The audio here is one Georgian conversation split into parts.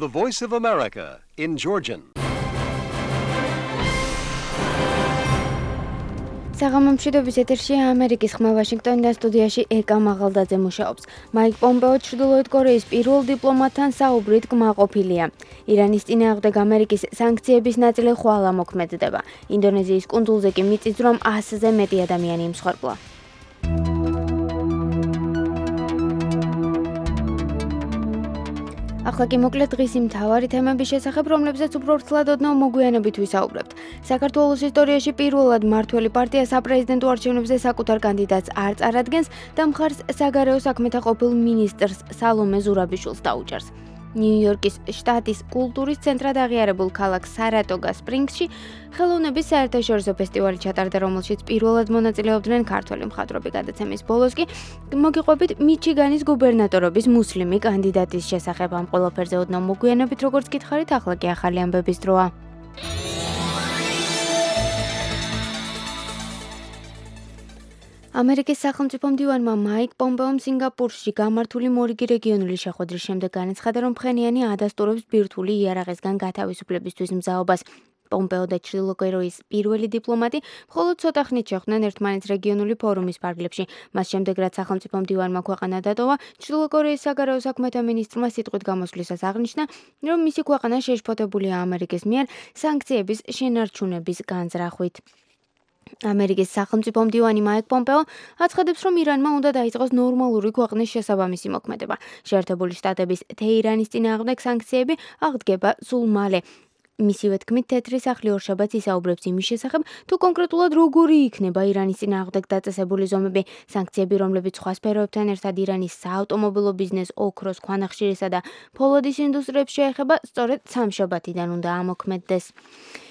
The Voice of America in Georgian. საღამომშვიდობის ეთერში ამერიკის ხმა ვაშინგტონიდან სტუდიაში ეკა მაღალდაძე მუშაობს. მაიკ პომპეო ჩრდილოეთ კორეის პირველ დიპლომატთან საუბრით კმაყოფილია. ირანის წინააღმდეგ ამერიკის სანქციების ნაწილი ხვალ ამოქმედდება. ინდონეზიის კუნძულზე კი მიწის რომ 100-ზე მეტი ადამიანი იმსხვერპლა. ახლა კი მოკლედ დღის იმ მთავარი თემების შესახებ, რომლებზეც უფრო ვრცლად ოდნავ მოგვიანებით ვისაუბრებთ. საქართველოს ისტორიაში პირველად მმართველი პარტია საპრეზიდენტო არჩევნებზე საკუთარ კანდიდატს არ წარადგენს და მხარს საგარეო საქმეთა ყოფილ მინისტრს სალომე ზურაბიშვილს დაუჭერს. ნიუ-იორკის შტატის კულტურის ცენტრად აღიარებულ ქალაქ სარატოგა სპრინგსში ხელოვნების საერთაშორისო ფესტივალი ჩატარდა, რომელშიც პირველად მონაწილეობდნენ ქართველი მხატვრები. გადაცემის ბოლოს კი მოგიყვებით მიჩიგანის გუბერნატორობის მუსლიმი კანდიდატის შესახებ. ამ ყველაფერზე ოდნავ მოგვიანებით, როგორც გითხარით, ახლა კი ახალი ამბების დროა. ამერიკის სახელმწიფო მდივანმა მაიკ პომპეომ სინგაპურში გამართული მორიგი რეგიონული შეხვედრის შემდეგ განაცხადა, რომ ფხენიანი ადასტურებს ბირთვული იარაღისგან გათავისუფლებისთვის მზაობას. პომპეო და ჩრდილოკორეის პირველი დიპლომატი მხოლოდ ცოტა ხნით შეხვდნენ ერთმანეთს რეგიონული ფორუმის ფარგლებში. მას შემდეგ, რაც სახელმწიფო მდივანმა ქვეყანა დატოვა, ჩრდილოკორეის საგარეო საქმეთა მინისტრმა სიტყვით გამოსვლისას აღნიშნა, რომ მისი ქვეყანა შეშფოთებულია ამერიკის მიერ სანქციების შენარჩუნების განზრახვით. ამერიკის სახელმწიფო მდივანი მაიკ პომპეო აცხადებს, რომ ირანმა უნდა დაიწყოს ნორმალური ქვეყნის შესაბამისი მოქმედება. შეერთებული შტატების თეირანის წინააღმდეგ სანქციები აღდგება სულ მალე. მისივე თქმით, თეთრი სახლი ორშაბათს ისაუბრებს იმის შესახებ, თუ კონკრეტულად როგორი იქნება ირანის წინააღმდეგ დაწესებული ზომები. სანქციები, რომლებიც სხვა სფეროებთან ერთად ირანის საავტომობილო ბიზნეს, ოქროს, ქვანახშირისა და ფოლადის ინდუსტრიებს შეეხება, სწორედ სამშაბათიდან უნდა ამოქმედდეს.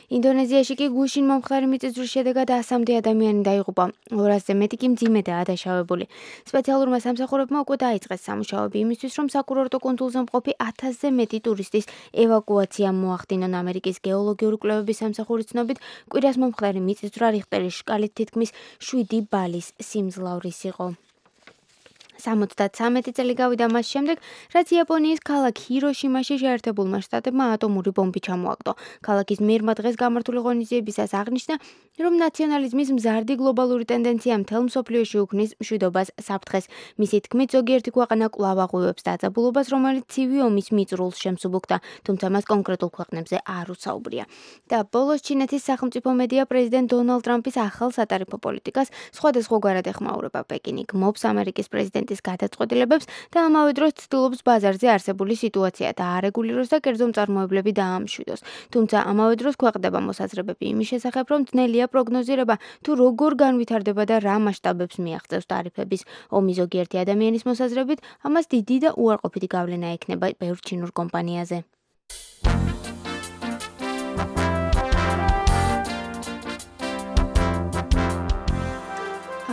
ინდონეზიაში კი გუშინ მომხდარი მიწისძვრის შედეგად 100-მდე ადამიანი დაიღუპა, 200-ზე მეტი კი მძიმედაა დაშავებული. სპეციალურმა სამსახურებმა უკვე დაიწყეს სამუშაოები იმისთვის, რომ საკურორტო კუნძულზე მყოფი 1000-ზე მეტი ტურისტის ევაკუაცია მოახდინონ. ამერიკის გეოლოგიური კვლევების სამსახურის ცნობით, კვირას მომხდარი მიწისძვრა რიხტერის შკალით თითქმის 7 ბალის სიმძლავრის იყო. 73 წელი გავიდა მას შემდეგ, რაც იაპონიის ქალაქ ჰიროშიმაში შეერთებულმა შტატებმა ატომური ბომბი ჩამოაგდო. ქალაქის მერმა დღეს გამართული ღონისძიებისას აღნიშნა, რომ ნაციონალიზმის მზარდი გლობალური ტენდენცია მთელ მსოფლიოში უქმნის მშვიდობას საფრთხეს. მისი თქმით, ზოგიერთი ქვეყანა კვლავ აღვივებს დაძაბულობას, რომელიც ცივი ომის მიწურულს შემსუბუქდა, თუმცა მას კონკრეტულ ქვეყნებზე არ უსაუბრია. და ბოლოს ჩინეთის სახელმწიფო მედია პრეზიდენტ დონალდ ტრამპის ახალ სატარიფო პოლიტიკას სხვადასხვაგვარად ეხმაურება. პეკინი გმობს ამერიკის პრეზიდენტის გადაწყვეტილებებს და ამავე დროს ცდილობს ბაზარზე არსებული სიტუაცია დაარეგულიროს და კერძო მწარმოებლები დაამშვიდოს. თუმცა ამავე დროს ქვეყნდება მოსაზრებები იმის შესახებ, რომ ძნელია პროგნოზირება, თუ როგორ განვითარდება და რა მასშტაბებს მიაღწევს ტარიფების ომი. ზოგიერთი ადამიანის მოსაზრებით, ამას დიდი და უარყოფითი გავლენა ექნება ბევრ ჩინურ კომპანიაზე.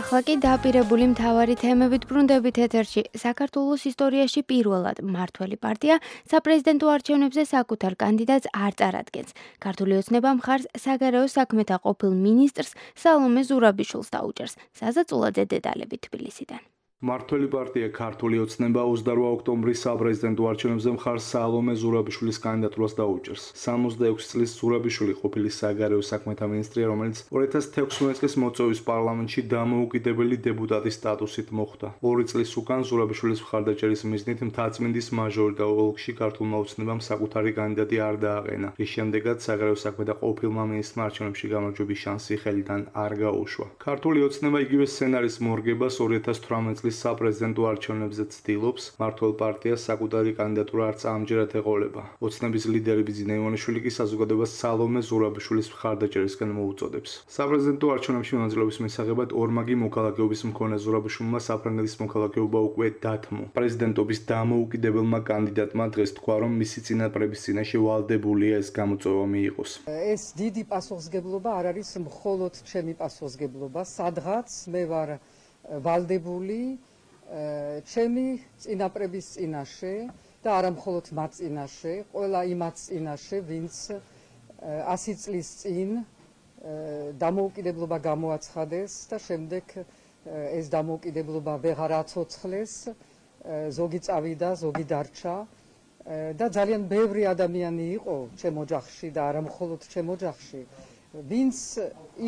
ახლა კი დაპირებული მთავარი თემებით ბრუნდებით ეთერში. საქართველოს ისტორიაში პირველად მმართველი პარტია საპრეზიდენტო არჩევნებზე საკუთარ კანდიდატს არ წარადგენს. ქართული ოცნება მხარს საგარეო საქმეთა ყოფილ მინისტრს სალომე ზურაბიშვილს დაუჭერს. საზაწულაძე დეტალები თბილისიდან. მმართველი პარტია ქართული ოცნება 28 ოქტომბრის საპრეზიდენტო არჩევნებზე მხარს სალომე ზურაბიშვილის კანდიდატურას დაუჭერს. 66 წლის ზურაბიშვილი ყოფილი საგარეო საქმეთა მინისტრია, რომელიც 2016 წლის მოწვევის პარლამენტში დამოუკიდებელი დეპუტატის სტატუსით მოხვდა. 2 წლის უკან ზურაბიშვილის მხარდაჭერის მიზნით მთაწმინდის მაჟორიტარ ოლქში ქართულმა ოცნებამ საკუთარი კანდიდატი არ დააყენა, რის შემდეგაც საგარეო საქმეთა ყოფილმა მინისტრმა არჩევნებში გამარჯვების შანსი ხელიდან არ გაუშვა. ქართული ოცნება იგივე სცენარის მორგებას 2018 წლის საპრეზიდენტო არჩევნებზე ცდილობს. მმართველ პარტიას საკუთარი კანდიდატურა არც ამჯერად ეყოლება. ოცნების ლიდერი ბიძინა ივანიშვილი კი საზოგადოებას სალომე ზურაბიშვილის მხარდაჭერისკენ მოუწოდებს. საპრეზიდენტო არჩევნებში მონაწილეობის მისაღებად ორმაგი მოქალაქეობის მქონე ზურაბიშვილმა საფრანგეთის მოქალაქეობა უკვე დათმო. პრეზიდენტობის დამოუკიდებელმა კანდიდატმა დღეს თქვა, რომ მისი წინაპრების წინაშე ვალდებულია ეს გამოწვევა მიიღოს. ეს დიდი პასუხისმგებლობა არ არის მხოლოდ ჩემი პასუხისმგებლობა, სადღაც მე ვარ ვალდებული ჩემი წინაპრების წინაშე და არა მხოლოდ მათ წინაშე, ყველა იმათ წინაშე, ვინც 100 წლის წინ დამოუკიდებლობა გამოაცხადეს და შემდეგ ეს დამოუკიდებლობა ვეღარ აცოცხლეს, ზოგი წავიდა, ზოგი დარჩა და ძალიან ბევრი ადამიანი იყო ჩემ ოჯახში და არა მხოლოდ ჩემ ოჯახში, ვინც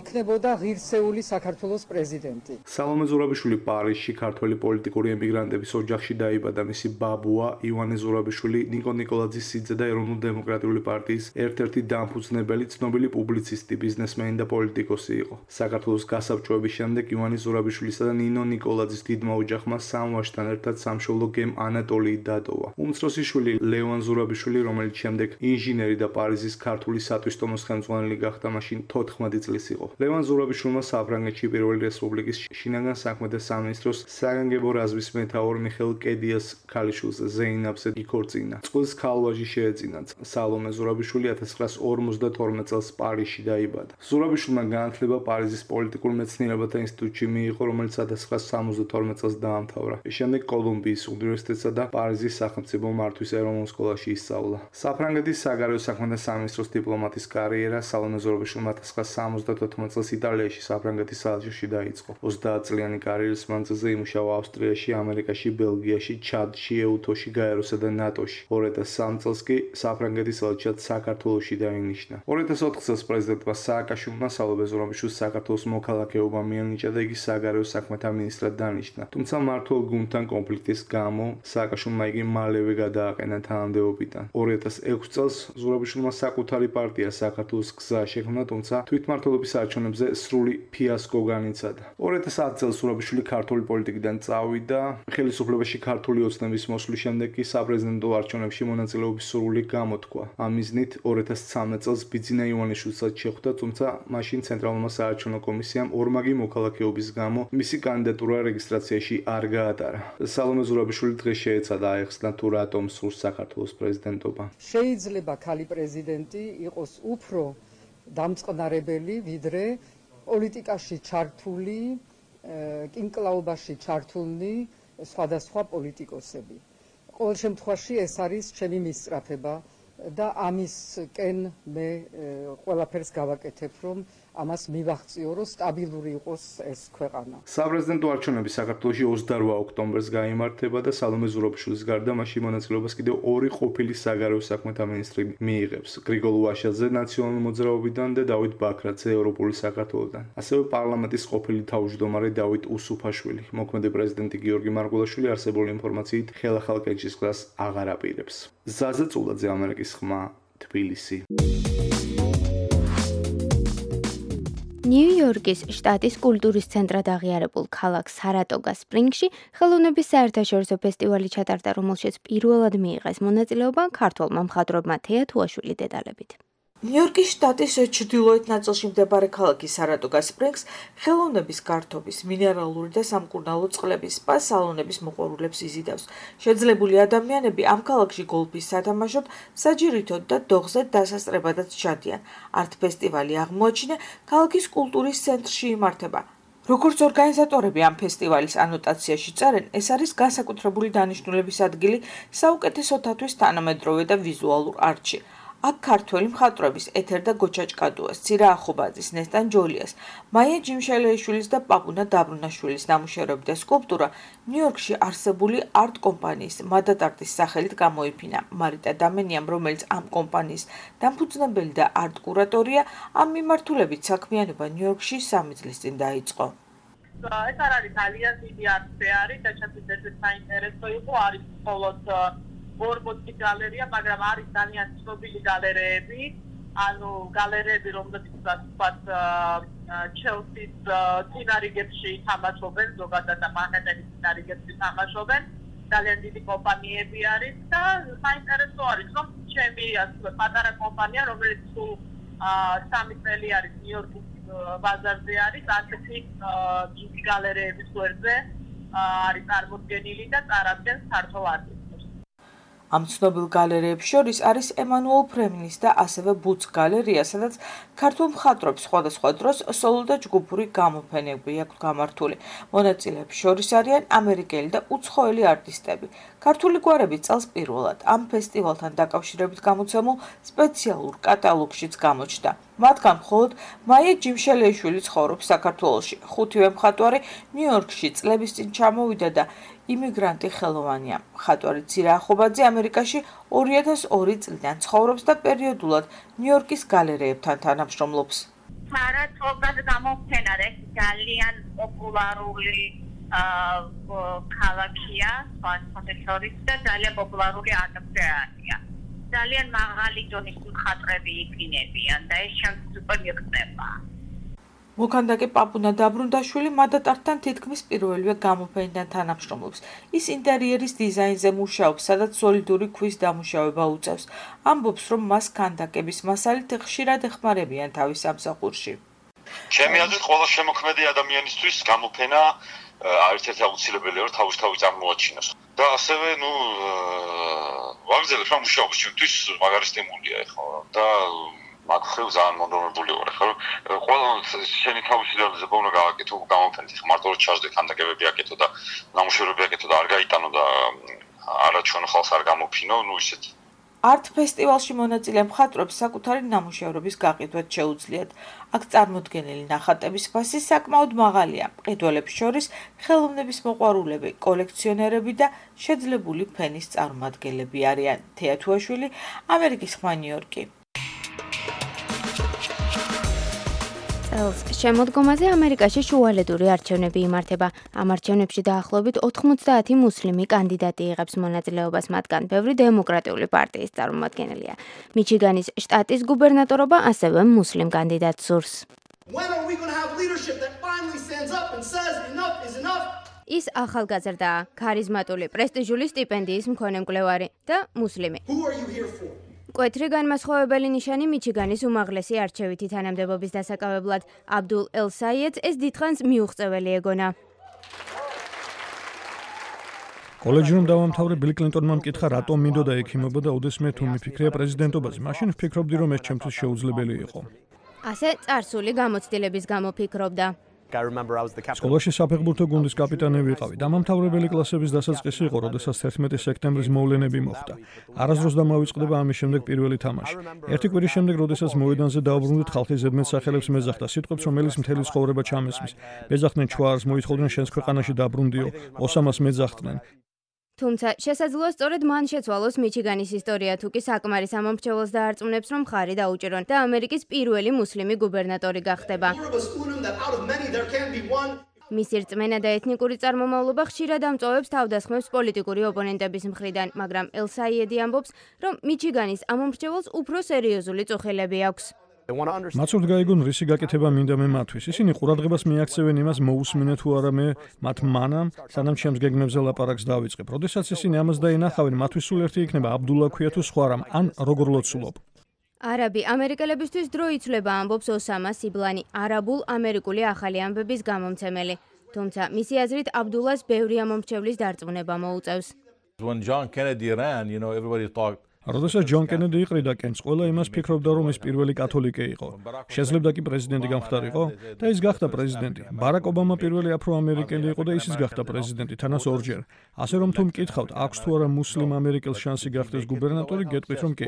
იქნებოდა ღირსეული საქართველოს პრეზიდენტი. სალომე ზურაბიშვილი პარიზში ქართველი პოლიტიკური ემიგრანტების ოჯახში დაიბადა. მისი ბაბუა ივანე ზურაბიშვილი ნიკო ნიკოლაძის სიძე და ეროვნულ-დემოკრატიული პარტიის ერთ-ერთი დამფუძნებელი, ცნობილი პუბლიცისტი, ბიზნესმენი და პოლიტიკოსი იყო. საქართველოს გასაბჭოების შემდეგ ივანე ზურაბიშვილისა და ნინო ნიკოლაძის დიდმა ოჯახმა სამ ვაჟთან ერთად სამშობლო გემ ანატოლიი დატოვა. უმცროსი შვილი ლევან ზურაბიშვილი, რომელიც შემდეგ ინჟინერი და პარიზის ქართული სატვისტომოს ხელმძღვანელი გახდა, მაშინ 14 წლის იყო. ლევან ზურაბიშვილმა საფრანგეთში პირველი რესპუბლიკის შინაგან საქმეთა სამინისტროს საგანგებო რაზმის მეთაურ მიხეილ კედიას ქალიშვილზე ზეინაბზე იქორწინა. წყვილს ქალვაჟი შეეძინა. სალომე ზურაბიშვილი 1952 წელს პარიზში დაიბადა. ზურაბიშვილმა განათლება პარიზის პოლიტიკურ მეცნიერებათა ინსტიტუტში მიიღო, რომელიც 1972 წელს დაამთავრა. შემდეგ კოლუმბიის უნივერსიტეტსა და პარიზის სახელმწიფო მართვის ეროვნულ სკოლაში ისწავლა. საფრანგეთის საგარეო საქმეთა სამინისტროს დიპლომატის კარიერა სალომე ზურაბიშვილმა 1974 წელს იტალიაში საფრანგეთის საელჩოში დაიწყო. 30 წლიანი კარიერის მანძილზე იმუშავა ავსტრიაში, ამერიკაში, ბელგიაში, ჩადში, ეუთოში, გაეროსა და ნატოში. 2003 წელს კი საფრანგეთის ელჩად საქართველოში დაინიშნა. 2004 წელს პრეზიდენტმა სააკაშვილმა სალომე ზურაბიშვილს საქართველოს მოქალაქეობა მიანიჭა და იგი საგარეო საქმეთა მინისტრად დანიშნა. თუმცა მმართველ გუნდთან კონფლიქტის გამო სააკაშვილმა იგი მალევე გადააყენა თანამდებობიდან. 2006 წელს ზურაბიშვილმა საკუთარი პარტია საქართველოს გზა შექმნა, თუმცა თვითმმართველობის არჩევნებზე სრული ფიასკო განიცადა. 2010 წელს ზურაბიშვილი ქართული პოლიტიკიდან წავიდა. ხელისუფლებაში ქართული ოცნების მოსვლის შემდეგ კი საპრეზიდენტო არჩევნებში მონაწილეობის სურვილი გამოთქვა. ამ მიზნით 2013 წელს ბიძინა ივანიშვილსაც შეხვდა, თუმცა მაშინ ცენტრალურმა საარჩევნო კომისიამ ორმაგი მოქალაქეობის გამო მისი კანდიდატურა რეგისტრაციაში არ გაატარა. სალომე ზურაბიშვილი დღეს შეეცადა აეხსნა თუ რატომ სურს საქართველოს პრეზიდენტობა. შეიძლება ქალი პრეზიდენტი იყოს უფრო დამწყნარებელი, ვიდრე პოლიტიკაში ჩართული, კინკლაობაში ჩართულნი სხვადასხვა პოლიტიკოსები. ყოველ შემთხვევაში ეს არის ჩემი მისწრაფება და ამისკენ მე ყველაფერს გავაკეთებ, რომ ამას მივახციო, რომ სტაბილური იყოს ეს ქვეყანა. საპრეზიდენტო არჩევნები საქართველოში 28 ოქტომბერს გაიმართება და სალომე ზურაბიშვილის გარდა მასში მონაწილეობას კიდევ ორი ყოფილი საგარეო საქმეთა მინისტრი მიიღებს: გრიგოლ ვაშაძე ნაციონალური მოძრაობიდან და დავით ბაქრაძე ევროპული საქართველოდან. ასევე პარლამენტის ყოფილი თავმჯდომარე დავით უსუფაშვილი. მოქმედი პრეზიდენტი გიორგი მარგველაშვილი არსებული ინფორმაციით ხელახალ კენჭის გზას აღარ აპირებს. ზაზა წულაძე, ამერიკის ხმა, თბილისი. ნიუ-იორკის შტატის კულტურის ცენტრად აღიარებულ ქალაქ სარატოგა სპრინგში ხელოვნების საერთაშორისო ფესტივალი ჩატარდა, რომელშიც პირველად მიიღეს მონაწილეობა ქართველმა მხატვრებმა თეა თუაშვილი დეტალებით. ნიუ-იორკის შტატის ჩრდილოეთ ნაწილში მდებარე ქალაქი სარატოგა სპრინგს ხელოვნების გართობის, მინერალური და სამკურნალო წყლების სპა სალონების მოყვარულებს იზიდავს. შეძლებული ადამიანები ამ ქალაქში გოლფის სათამაშოდ, საჯირითოდ და დოღზე დასასწრებადაც ჩადიან. არტ-ფესტივალი აღმოაჩინა ქალაქის კულტურის ცენტრში იმართება. როგორც ორგანიზატორები ამ ფესტივალის ანოტაციაში წერენ, ეს არის განსაკუთრებული დანიშნულების ადგილი საუკეთესოთათვის თანამედროვე და ვიზუალურ არტში. აქ ქართველი მხატვრების ეთერ და გოჩა ჭკადუას, ცირა ახობაძის, ნესტან ჯოლიას, მაია ჯიმშელეიშვილის და პაპუნა დაბრუნაშვილის ნამუშევრები და სკულპტურა ნიუ-იორკში არსებული არტ კომპანიის მადატარტის სახელით გამოიფინა. მარიტა დამენიამ, რომელიც ამ კომპანიის დამფუძნებელი და არტ კურატორია, ამ მიმართულებით საქმიანობა ნიუ-იორკში 3 წლის წინ დაიწყო. ეს არ არის ძალიან დიდი არტ-ფეარი და ჩათვლის საინტერესო იყო, არის მხოლოდ ბორბოტი გალერეა, მაგრამ არის ძალიან ცნობილი გალერეები, ანუ გალერეები, რომლებიც ვთქვათ, ჩელსის წინარიგებში თამაშობენ, ზოგადად და მანჰეტენის წინარიგებში თამაშობენ, ძალიან დიდი კომპანიები არის და საინტერესო არის, რომ ჩემი ასე პატარა კომპანია, რომელიც სულ 3 წელი არის ნიუ-იორკის ბაზარზე არის, ასეთი დიდი გალერეების გვერდზე არის წარმოდგენილი და წარადგენს ქართულ არტს. ამ ცნობილ გალერეებს შორის არის ემანუელ ფრემლის და ასევე ბუც გალერეა, სადაც ქართულ მხატვრებს სხვადასხვა დროს სოლო და ჯგუფური გამოფენები აქვს გამართული. მონაწილეებს შორის არიან ამერიკელი და უცხოელი არტისტები. ქართული გვარები წელს პირველად ამ ფესტივალთან დაკავშირებით გამოცემულ სპეციალურ კატალოგშიც გამოჩნდა. მათგან მხოლოდ მაია ჯიმშელეიშვილი ცხოვრობს საქართველოში. 5-ვე მხატვარი ნიუ-იორკში წლების წინ ჩამოვიდა და იმიგრანტი ხელოვანია. მხატვარი ცირა ახობაძე ამერიკაში 2002 წლიდან ცხოვრობს და პერიოდულად ნიუ-იორკის გალერეებთან თანამშრომლობს. საერთოდ გამოფენა ძალიან პოპულარული ქალაქია, სპასპონდესორის და ძალიან პოპულარული არტ-გალერეა. ძალიან მაღალი დონის მხატვრები იქნებიან და ეს ჩემთვის უკვე მიღწევა. მოქანდაკე პაპუნა დაბრუნდაშვილი მადატართან თითქმის პირველივე გამოფენიდან თანამშრომლობს. ის ინტერიერის დიზაინზე მუშაობს, სადაც სოლიდური ქვის დამუშავება უწევს. ამბობს, რომ მას ქანდაკების მასალით ხშირად ეხმარებიან თავის სამსახურში. ჩემი აზრით, ყველა შემოქმედი ადამიანისთვის გამოფენა ერთ-ერთი აუცილებელია, რომ თავისთავად წარმოაჩინოს. და ასევე, ვაგრძელებ ამ მუშაობას, ჩვენთვის მაგარი სტიმულია, ხო? და მაგ ხელ ძალიან მონდომებული ვარ, ხო? ყველა შენი თავისი ძალზე უნდა გააკეთო გამოფენით, მარტო რომ ჩაჟდე ქანდაკებები აკეთო და ნამუშევრები აკეთო და არ გაიტანო და არა ჩვენ ხალხს არ გამოფინო, ისეთი. არტ ფესტივალში მონაწილე მხატვრებს საკუთარი ნამუშევრების გაყიდვაც შეუძლიათ. აქ წარმოდგენილი ნახატების ფასი საკმაოდ მაღალია. მყიდველებს შორის ხელოვნების მოყვარულები, კოლექციონერები და შეძლებული ფენის წარმომადგენლები არიან. თეათუაშვილი, ამერიკის ხმა ნიუ-იორკი. წელს შემოდგომაზე ამერიკაში შუალედური არჩევნები იმართება. ამ არჩევნებში დაახლოებით 90 მუსლიმი კანდიდატი იღებს მონაწილეობას, მათგან ბევრი დემოკრატიული პარტიის წარმომადგენელია. მიჩიგანის შტატის გუბერნატორობა ასევე მუსლიმ კანდიდატს სურს. ის ახალგაზრდაა, ქარიზმატული, პრესტიჟული სტიპენდიის მქონე მკვლევარი და მუსლიმი. მკვეთრი განმასხვავებელი ნიშანი მიჩიგანის უმაღლესი არჩევითი თანამდებობის დასაკავებლად. აბდულ ელ-საიედს ეს დიდხანს მიუღწეველი ეგონა. კოლეჯი რომ დავამთავრე, ბილ კლინტონმა მკითხა, რატომ მინდოდა ექიმობა და ოდესმე თუ მიფიქრია პრეზიდენტობაზე, მაშინ ვფიქრობდი, რომ ეს ჩემთვის შეუძლებელი იყო. ასე წარსული გამოცდილების გამო ფიქრობდა. სკოლაში საფეხბურთო გუნდის კაპიტანი ვიყავი. დამამთავრებელი კლასების დასაწყისი იყო, როდესაც 11 სექტემბრის მოვლენები მოხდა. არასდროს დამავიწყდება ამის შემდეგ პირველი თამაში. ერთი კვირის შემდეგ, როდესაც მოედანზე დავბრუნდით, ხალხი ზედმეტ სახელებს მეძახდა, სიტყვებს, რომელის მთელი ცხოვრება ჩამესმის. მეძახდნენ ჩوارს, მოითხოვდნენ შენს ქვეყანაში დაბრუნდიო, ოსამას მეძახდნენ. თუმცა შესაძლოა სწორედ მან შეცვალოს მიჩიგანის ისტორია, თუ კი საკმარის ამომრჩეველს დაარწმუნებს, რომ მხარი დაუჭირონ და ამერიკის პირველი მუსლიმი გუბერნატორი გახდება. მისი რწმენა და ეთნიკური წარმომავლობა ხშირად ამწოვებს თავდასხმებს პოლიტიკური ოპონენტების მხრიდან, მაგრამ ელ-საიედი ამბობს, რომ მიჩიგანის ამომრჩეველს უფრო სერიოზული წუხილები აქვს. მათ სურთ გაიგონ რისი გაკეთება მინდა მე მათთვის. ისინი ყურადღებას მიაქცევენ იმას, მოусმინე თუ არა მე მათ მანამ, სანამ ჩემს გეგმებზე ლაპარაკს დავიწყებ. როდესაც ისინი ამას დაინახავენ, მათთვის სულ ერთი იქნება აბდულა ქვია თუ სხვა რამ, ან როგორ ლოცულობ. არაბი ამერიკელებისთვის დრო იცვლება, ამბობს ოსამა სიბლანი, არაბულ-ამერიკული ახალი ამბების გამომცემელი. თუმცა მისი აზრით აბდულას ბევრი ამომრჩევლის დარწმუნება მოუწევს. როდესაც ჯონ კენედი იყრიდა კენს, ყველა იმას ფიქრობდა, რომ ის პირველი კათოლიკე იყო. შეძლებდა კი პრეზიდენტი გამხდარიყო და ის გახდა პრეზიდენტი. ბარაკ ობამა პირველი აფრო-ამერიკელი იყო და ისიც გახდა პრეზიდენტი, თანაც ორჯერ. ასე რომ თუ მკითხავთ, აქვს თუ არა მუსლიმ ამერიკელს შანსი გახდეს გუბერნატორი, გეტყვით რომ კი.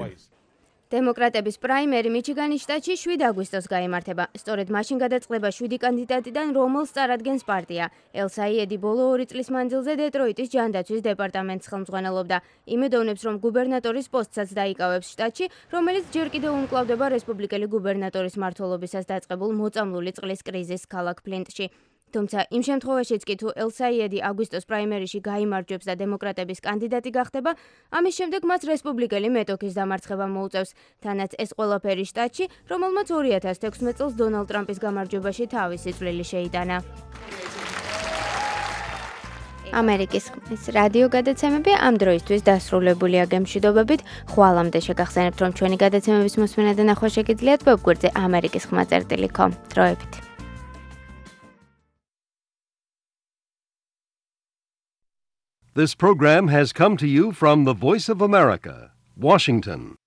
დემოკრატების პრაიმერი მიჩიგანის შტატში 7 აგვისტოს გაიმართება. სწორედ მაშინ გადაწყდება 7 კანდიდატიდან, რომელს წარადგენს პარტია. ელ-საიედი ბოლო 2 წლის მანძილზე დეტროიტის ჯანდაცვის დეპარტამენტს ხელმძღვანელობდა. იმედოვნებს, რომ გუბერნატორის პოსტსაც დაიკავებს შტატში, რომელიც ჯერ კიდევ უმკლავდება რესპუბლიკელი გუბერნატორის მმართველობისას დაწყებულ მოწამლული წყლის კრიზისს ქალაქ ფლინტში. თუმცა იმ შემთხვევაშიც კი თუ ელ-საიედი აგვისტოს პრაიმერიში გაიმარჯვებს და დემოკრატების კანდიდატი გახდება, ამის შემდეგ მას რესპუბლიკელი მეტოქის დამარცხება მოუწევს. თანაც ეს ყველაფერი შტატში, რომელმაც 2016 წელს დონალდ ტრამპის გამარჯვებაში თავისი წვლილი შეიტანა. ამერიკის ხმის რადიო გადაცემები ამ დროისთვის დასრულებულია. გემშვიდობებით, ხვალამდე შეგახსენებთ, რომ ჩვენი გადაცემების მოსმენა და ნახვა შეგიძლიათ ვებგვერდზე amerikiskhma.com. დროებით. This program has come to you from the Voice of America, Washington.